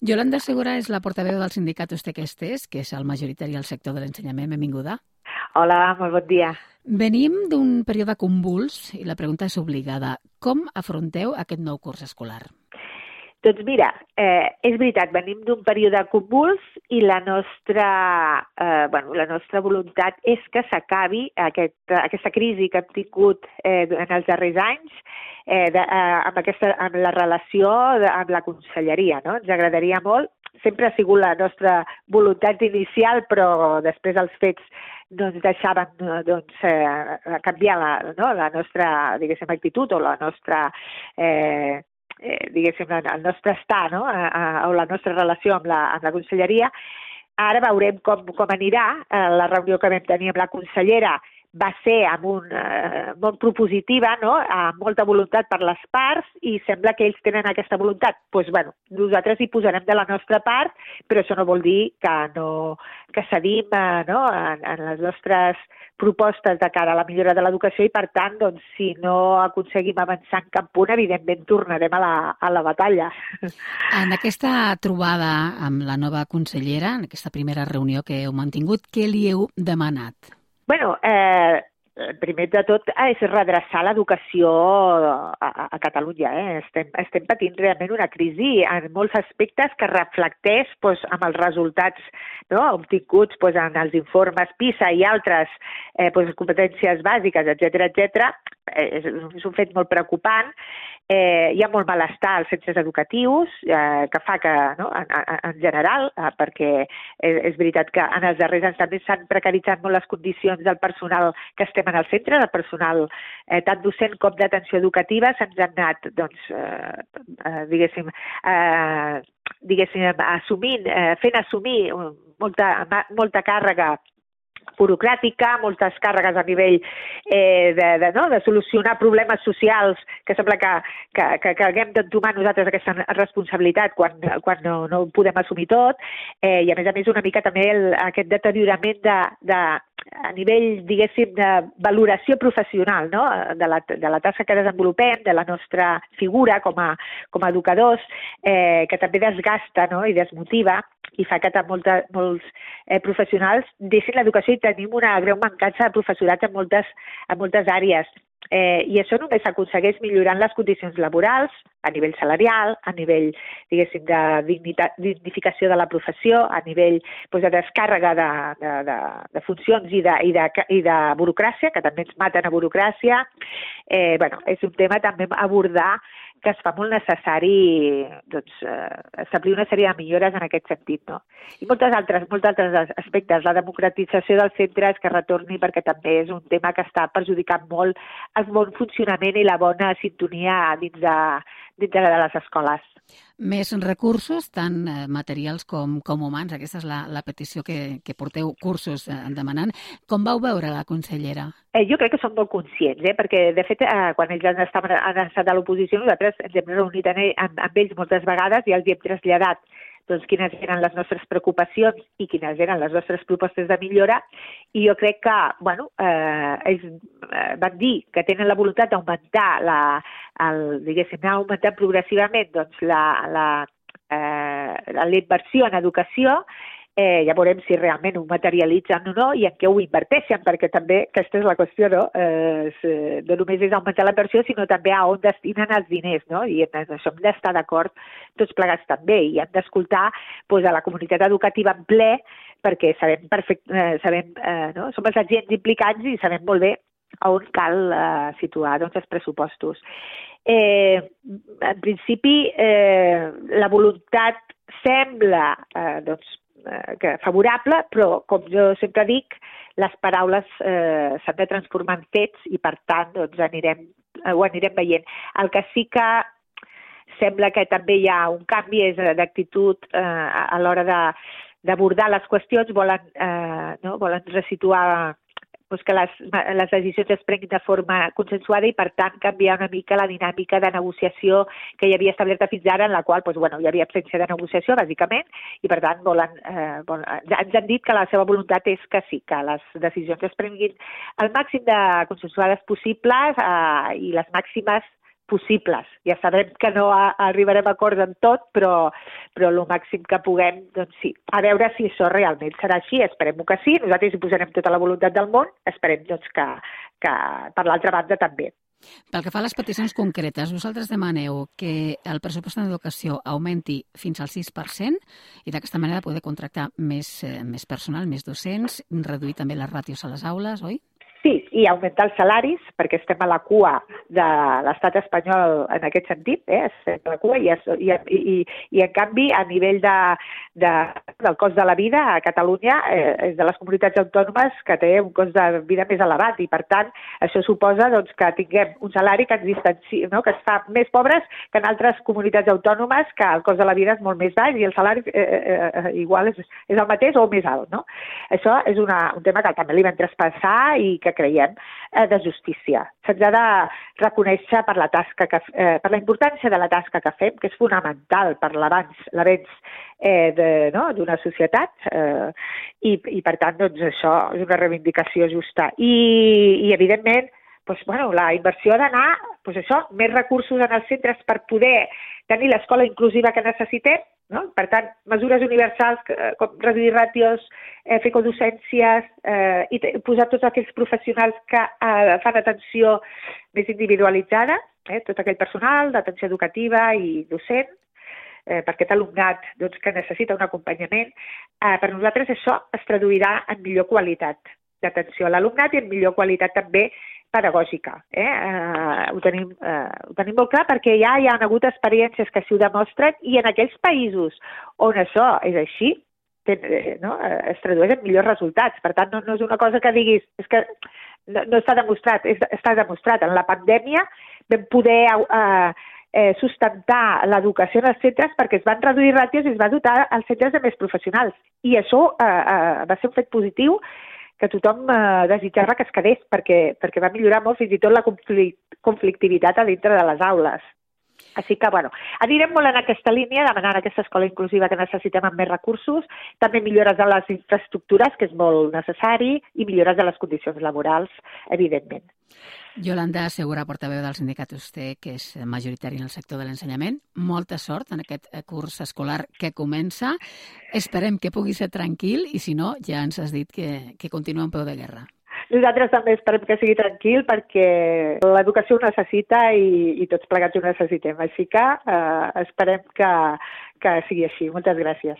Yolanda Segura és la portaveu del sindicat Ustequestes, que és el majoritari al sector de l'ensenyament. Benvinguda. Hola, molt bon dia. Venim d'un període convuls i la pregunta és obligada. Com afronteu aquest nou curs escolar? Doncs mira, és veritat, venim d'un període convuls i la nostra voluntat és que s'acabi aquesta crisi que hem tingut en els darrers anys amb la relació amb la conselleria, no? Ens agradaria molt, sempre ha sigut la nostra voluntat inicial, però després els fets no ens deixaven canviar la nostra, diguéssim, actitud o la nostra el nostre estar, no? O la nostra relació amb la conselleria. Ara veurem com anirà. La reunió que vam tenir amb la consellera va ser molt propositiva, no? Amb molta voluntat per les parts i sembla que ells tenen aquesta voluntat. Doncs, nosaltres hi posarem de la nostra part, però això no vol dir que cedim en les nostres propostes de cara a la millora de l'educació i, per tant, doncs, si no aconseguim avançar en cap punt, evidentment tornarem a la batalla. En aquesta trobada amb la nova consellera, en aquesta primera reunió que heu mantingut, què li heu demanat? Primer de tot és redreçar l'educació a Catalunya. Estem patint realment una crisi en molts aspectes que reflecteix amb els resultats obtinguts en els informes PISA i altres competències bàsiques, etc. És un fet molt preocupant. Hi ha molt malestar als centres educatius, que fa que, en general, perquè és veritat que en els darrers anys també s'han precaritzat molt les condicions del personal que estem en el centre, del personal tant docent com d'atenció educativa, se'ns han anat, fent assumir molta càrrega burocràtica, moltes càrregues a nivell de solucionar problemes socials, que sembla que haguem d'entomar nosaltres aquesta responsabilitat quan no ho podem assumir tot, i a més una mica també aquest deteriorament a nivell, diguéssim, de valoració professional, no? de la tasca que desenvolupem, de la nostra figura com a educadors, que també desgasta, no? I desmotiva i fa que molts professionals deixin l'educació i tenim una greu mancança de professorat en moltes àrees. I això només s'aconsegueix millorant les condicions laborals, a nivell salarial, a nivell, diguéssim, de dignificació de la professió, a nivell de descàrrega de funcions i de burocràcia, que també ens maten a burocràcia. És un tema també a abordar que es fa molt necessari establir una sèrie de millores en aquest sentit, no? I molts altres aspectes. La democratització dels centres que retorni, perquè també és un tema que està perjudicant molt el bon funcionament i la bona sintonia dins de les escoles. Més recursos, tant materials com humans. Aquesta és la petició que porteu cursos demanant. Com vau veure la consellera? Jo crec que són molt conscients, perquè de fet quan ells han estat a l'oposició nosaltres ens hem reunit amb ells moltes vegades i els hi hem traslladat quines eren les nostres preocupacions i quines eren les nostres propostes de millora, i jo crec que ells van dir que tenen la voluntat d'augmentar augmentar progressivament la inversió en educació. Ja veurem si realment ho materialitzen o no i en què ho inverteixen, perquè també aquesta és la qüestió, no? No només és augmentar la inversió, sinó també a on destinen els diners, no? I en això hem d'estar d'acord tots plegats també, i hem d'escoltar a la comunitat educativa en ple, perquè sabem, som els agents implicats i sabem molt bé on cal situar els pressupostos. En principi, la voluntat sembla favorable, però, com jo sempre dic, les paraules s'han de transformar en fets i, per tant, ho anirem veient. El que sí que sembla que també hi ha un canvi és d'actitud a l'hora d'abordar les qüestions, volen resituar que les decisions es prenguin de forma consensuada i, per tant, canviar una mica la dinàmica de negociació que hi havia establerta fins ara, en la qual hi havia absència de negociació, bàsicament, i, per tant, ens han dit que la seva voluntat és que sí, que les decisions es prenguin el màxim de consensuades possibles i les màximes possibles. Ja sabem que no arribarem a acords en tot, però el màxim que puguem, doncs sí. A veure si això realment serà així, esperem que sí, nosaltres hi posarem tota la voluntat del món, esperem doncs, que per l'altra banda també. Pel que fa a les peticions concretes, vosaltres demaneu que el pressupost en educació augmenti fins al 6% i d'aquesta manera poder contractar més personal, més docents, reduir també les ràtios a les aules, oi? Sí, i augmentar els salaris, perquè estem a la cua de l'estat espanyol en aquest sentit, estem a la cua i en canvi, a nivell del cost de la vida a Catalunya és de les comunitats autònomes que té un cost de vida més elevat i, per tant, això suposa doncs, que tinguem un salari que ens distanci, no? Que ens fa més pobres que en altres comunitats autònomes que el cost de la vida és molt més baix i el salari igual és el mateix o més alt, no? Això és un tema que també li vam traspassar i que creiem de justícia. Se'ns ha de reconèixer per la importància de la tasca que fem, que és fonamental per l'avenç d'una societat i per tant, doncs, això és una reivindicació justa. I evidentment, doncs, la inversió ha d'anar, més recursos en els centres per poder tenir l'escola inclusiva que necessitem, no? Per tant, mesures universals com reduir ràtios, fer codocències i posar tots aquells professionals que fan atenció més individualitzada, tot aquell personal d'atenció educativa i docent, per aquest alumnat que necessita un acompanyament. Per nosaltres això es traduirà en millor qualitat d'atenció a l'alumnat i en millor qualitat també pedagògica. Ho tenim molt clar perquè ja hi ha hagut experiències que així ho demostren i en aquells països on això és així, es tradueix en millors resultats. Per tant, no és una cosa que diguis, és que no està demostrat, està demostrat. En la pandèmia vam poder sustentar l'educació en els centres perquè es van reduir ràtios i es va dotar els centres de més professionals. I això va ser un fet positiu que tothom desitjava que es quedés perquè va millorar molt fins i tot la conflictivitat a dintre de les aules. Així que, anirem molt en aquesta línia, demanant aquesta escola inclusiva que necessitem amb més recursos, també millores de les infraestructures, que és molt necessari, i millores de les condicions laborals, evidentment. Yolanda Segura, portaveu del sindicat USTE, que és majoritari en el sector de l'ensenyament. Molta sort en aquest curs escolar que comença. Esperem que pugui ser tranquil i, si no, ja ens has dit que continua en peu de guerra. Nosaltres també esperem que sigui tranquil perquè l'educació ho necessita i tots plegats ho necessitem. Així que esperem que sigui així. Moltes gràcies.